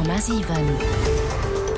100,7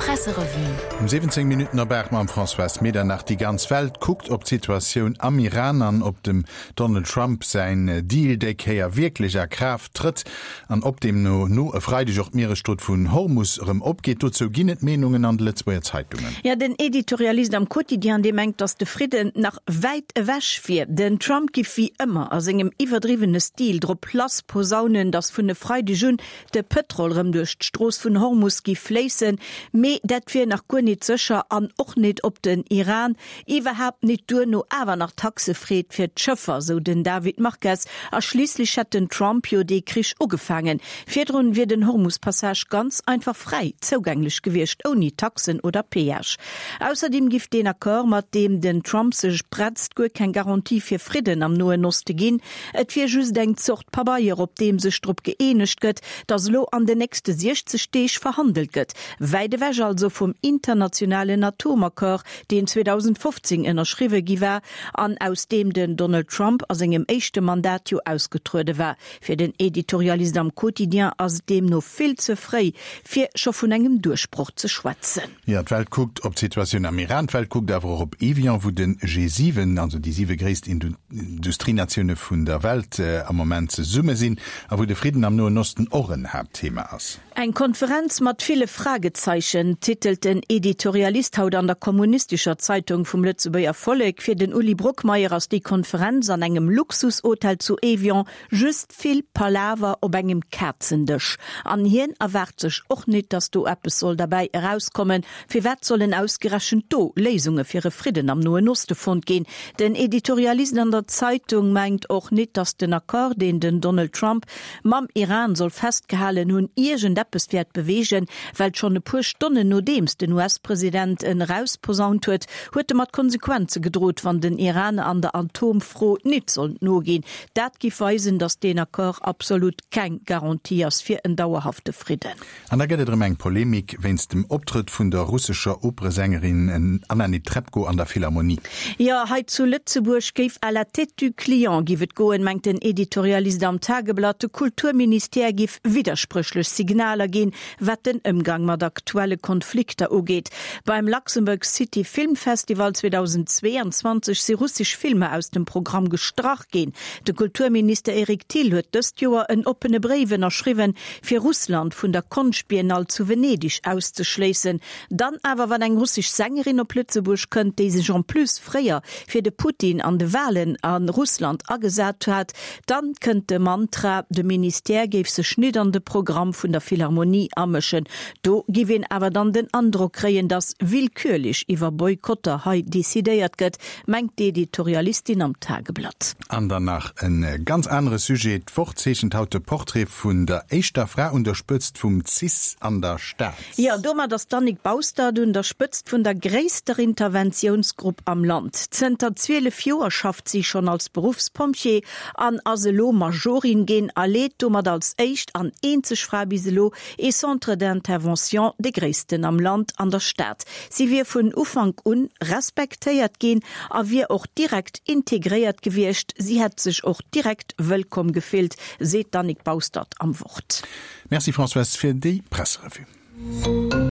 Presserevue. Um 17 Minutten op 8 mam Françoise Medernach. Déi ganz Welt kuckt op d'Situatioun am Iran an ob dem Donald Trump säin Deal déi Kéier wierklech a Kraaft trëtt an ob deemno no e Freideg och d'Mieresstrot vun Hormus erëm opgeet. Dozou ginn et Meenungen an de Lëtzebuerger Zeitungen. Jo, den Editorialist am Quotidien, dee mengt, datt de Fridden nach wäit ewech wier. Den Trump giff wéi ëmmer a sengem iwwerdriwwene Stil drop lass posaunen, datt vun e Freideg un de Pëtrol rëm duerch d'Strooss vun Hormus giff fléissen, mee dat wier nach guer nit sécher an och nit ob den Iran iwwerhaapt nit duerno awer nach Taxe freet fir d'Schëffer, sou den David Marques. A schliisslech hätt den Trump jo dee Krich ugefaangen. Virdrun wier den Hormus-Passage ganz einfach fräi zougänglech gewiescht, ouni Taxen oder Péage. Ausserdeem giff deen Accord, mat deem den Trump sech bretzt, guer keng Garantie fir Fridden am Noen Oste ginn. Et wier just eng Zort Pabeier, op deem sech drop gëeenegt gëtt, datt elo an den nächste 60 Deeg verhandelt gëtt. Wäit ewech also vum internationalen Atomaccord, deen 2015 ënnerschriwwe gi war an aus deem den Donald Trump a sengem éischte Mandat jo ausgetruede war. Fir den Editorialist am Quotidien ass et deemno vill ze fréi, fir scho vun engem Duerchbroch ze schwätzen. Jo, d'Welt kuckt op d'Situatioun am Iran, d'Welt kuckt awer och op Evian, wou de G7, also déi siwe gréisst Industrienatioune vun der Welt, am Moment zesumme sinn a wou de Fridden am Noen Osten och en Haaptthema ass. Eng Konferenz mat ville Fragezeichen, titelt den Editorialist haut an der Kommunistescher Zeitung vum Lëtzebuerger Vollek. Fir den Uli Brockmeyer ass déi Konferenz an engem Luxushotel zu Evian just vill Palaver op engem Kazendësch. An hien erwaart sech och nit, datt do eppes soll derbäi erauskommen. Firwat sollen ausgerechent do Léisunge fir e Fridden am Noen Oste fonnt ginn? Den Editorialist an der Zeitung mengt och nit, datt den Accord, deen den Donald Trump mam Iran soll festgehalen hunn, iergendeppes wäert beweegen, well schonn e puer Stonnen nodeems den US-President en erausposaunt huet, huet e mat Konsequenze gedrot, wann den Iran an der Atomfro nit sollt noginn. Dat giff weisen, datt deen Accord absolut keng Garantie ass fir en dauerhafte Fridden. An da gëtt et erëm eng Polemik wéinst dem Optrëtt vun der russescher Operesängerin Anna Netrebko an der Philharmonie. Jo, hei zu Lëtzebuerg géif à la tête du client giff et goen, mengt den Editorialist am Tageblatt. De Kulturministère giff widderspréchlech Signaler ginn, wat den Ëmgang mat aktuelle Konflikter ugeet. Beim Luxembourg City Film Festival 2022 si russesch Filmer aus dem Programm gestrach ginn. De Kulturminister Eric Thill huet dëst Joer en oppene Bréif ënnerschriwwen, fir Russland vun der Konschtbiennale zu Venedeg auszeschléissen. Dann awer, wann eng russesch Sängerin op Lëtzebuerg kënnt, déi sech en plus fréier fir de Putin an de Walen a Russland agesat hat, dann kënnt de Mantra, de Ministère géif sech nit an de Programm vun der Philharmonie amëschen. Do giff een awer dann den Androck kréien, datt willkürlech iwwer Boykotter hei decidéiert gëtt, mengt d'Editorialistin am Tageblatt. An dann nach e ganz anere Sujet, D'Wort zeechent haut de Portrait vun der éischter Fra un der Spëtzt vum cis an der Stad. Jo, domat ass d'Annick Baustert un der Spëtzt vun der gréisster Interventiounsgrupp am Land. Zënter 12 Joer schafft si schonn als Beruffspompjee an ass elo Majorin ginn a leet domat als éischt an eenzeg Fra bis elo ee Centre d'intervention, dee gréissten am Land, an der Stad. Si wier vun Ufank un respektéiert ginn a wier och direkt integréiert gewiescht. Si hätt sech och direkt wëllkomm gefillt, seet d'Annick Baustert am Wort. Merci Françoise fir déi Presserevue.